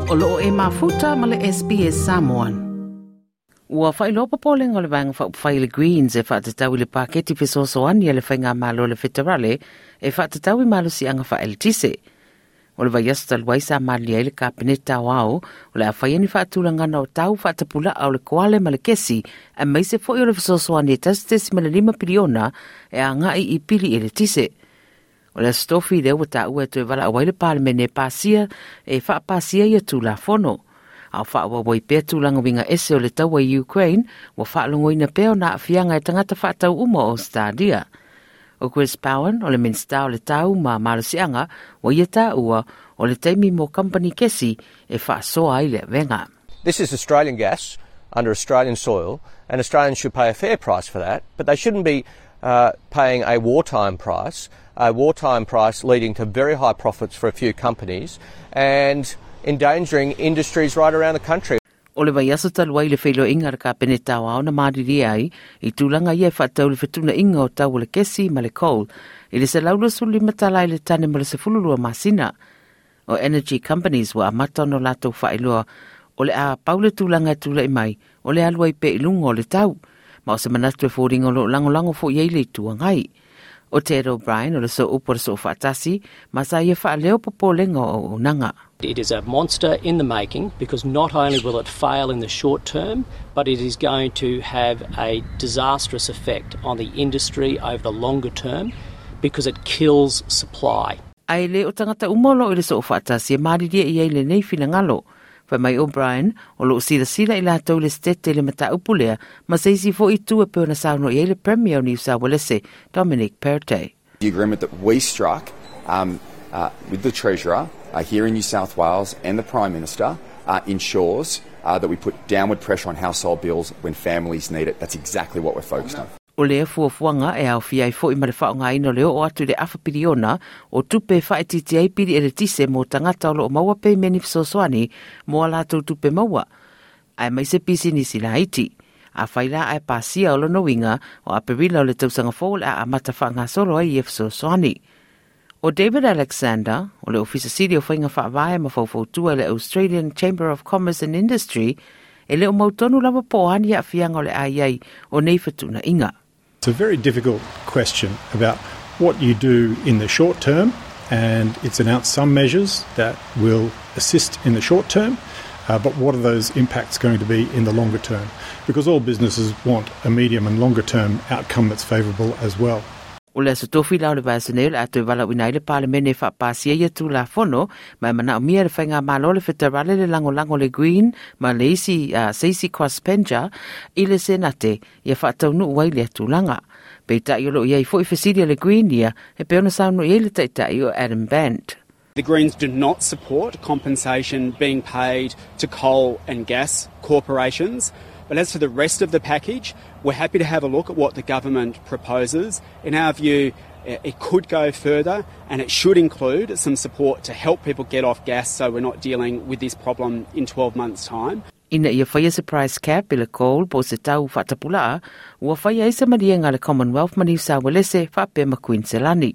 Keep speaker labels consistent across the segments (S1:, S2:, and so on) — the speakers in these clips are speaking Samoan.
S1: O loo e mafuta ma le SBS Samoan. Ua faailoa popolega o le Vaega Faaupufai le Greens e faatatau i le paketi fesoasoani a le Faigamalo le Feterale e faatatau i malosiaga faaeletise. O le vaiaso talu ai sa malilie ai le Kapeneta Aoao o le a faia ni faatulagana o tau faatapulaa o le koale ma le kesi aemaise foi o le fesoasoani e 1.5 piliona e agai i pili eletise. O le Aso Tofi lea ua taua e toe valaau ai le Palemene e pasia e faapasia ia Tulafono. A o faaauau ai pea tulaga uiga ese o le taua i Ukraine, ua faalogoina pea ona aafiaga e tagata faatau uma o Ausetalia. O Chris Bowen, o le Minisita o le Tau ma Malosiaga, ua ia taua o le taimi mo kamupani kesi e faasoa ai le avega.
S2: This is Australian gas under Australian soil and Australians should pay a fair price for that, but they shouldn't be paying a wartime price, a wartime price leading to very high profits for a few companies and endangering industries right around the country.
S1: O le vaiaso talu ai le feiloaiga a le Kapeneta Aoao na malilie ai i tulaga ia e faatatau i le fetuunaiga o tau o le kesi ma le coal i le $125 i le tane mo le 12 masina. O Energy Companies ua amata ona latou faailoa o le a pau le tulaga e tulai mai o le alu ai pea i luga o le tau, ma o se manatu e foliga o lo o lagolago foi i ai le Itu Agai. O Ted O'Brien o le Sooupu o le Soofaatasi ma sa ia faaleo popolega o auaunaga.
S3: It is a monster in the making because not only will it fail in the short term, but it is going to have a disastrous effect on the industry over the longer term because it kills supply.
S1: A e le o tagata uma o lo o i le Soofaatasi e malilie i ai lenei finagalo. Fai mai O'Brien, o lo o silasila i latou i le Setete i le mataupu lea ma se isi foi itu e pei ona saunoa i ai le Premier o Niu Saualese, Dominic Perrottet.
S4: The agreement that we struck um, uh, with the Treasurer uh, here in New South Wales and the Prime Minister uh, ensures uh, that we put downward pressure on household bills when families need it. That's exactly what we're focused on.
S1: O lea fuafuaga e aofia ai foi ma le faaaogaina o le oo atu i le afa piliona o tupe e faaitiitia ai pili eletise mo tagata o lo o maua pemeni fesoasoani mo a latou tupe maua, aemaise pisinisi laiti. Afai la ae pasia o lona uiga, o Aperila o le tausaga fou o le a amata faagasolo ai ia fesoasoani. O David Alexander, o le Ofisa Sili o Faiga Faavae ma Faufautua i le Australian Chamber of Commerce and Industry, e le o mautonu lava po o a ni aafiaga o le a i ai o nei fetuunaiga.
S5: It's a very difficult question about what you do in the short term and it's announced some measures that will assist in the short term, uh, but what are those impacts going to be in the longer term? Because all businesses want a medium and longer term outcome that's favourable as well.
S1: O le Aso Tofi la o le vaiaso nei o le a toe valaauina ai le Palemene e faapasia ia Tulafono, ma e manaomia e le Faigamalo le Feterale le lagolago le Green ma le isi uh, se isi crossbencher i le Senate ia faataunuu ai lea tulaga. Peitai o lo o i ai foi fesili a le Green ia e pei ona saunoa i ai le Taitai o Adam Bandt.
S6: The Greens do not support compensation being paid to coal and gas corporations. But as for the rest of the package, we're happy to have a look at what the government proposes. In our view, it could go further and it should include some support to help people get off gas so we're not dealing with this problem in 12 months' time.
S1: Ina ia faia se price cap i le coal po o se tau faatapulaa, ua faia ai se maliega a le Commonwealth ma Niu Saualese faapea ma Kuiniselani.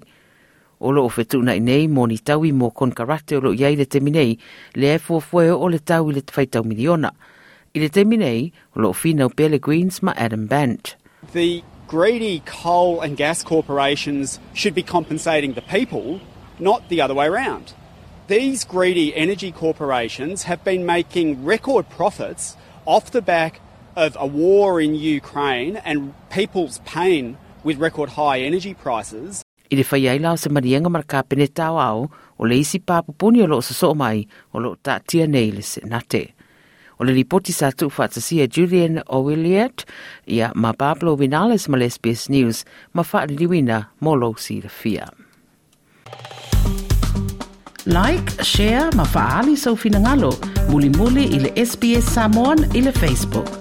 S1: O lo o fetuunai nei mo ni taui mo konekarate o lo o i ai i le taimi nei, lea e fuafua e oo le tau i le faitau miliona. I le taimi nei, o lo o finau pea le Greens ma Adam Bandt.
S6: The greedy coal and gas corporations should be compensating the people, not the other way round. These greedy energy corporations have been making record profits off the back of a war in Ukraine and people's pain with record high energy prices.
S1: I le fai ai la o se maliega ma le Kapeneta Aoao, o le isi pā pupuni o lo o sosoo mai, o lo o taatia nei i le Senate. O le lipoti sa tuufaatasia e Julian Owilliat, ia ma Pablo Vinales ma le SBS News ma faaliliuina mo lou silafia. Like, share ma faaali sou finagalo, mulimuli i le SBS Samoan i le Facebook.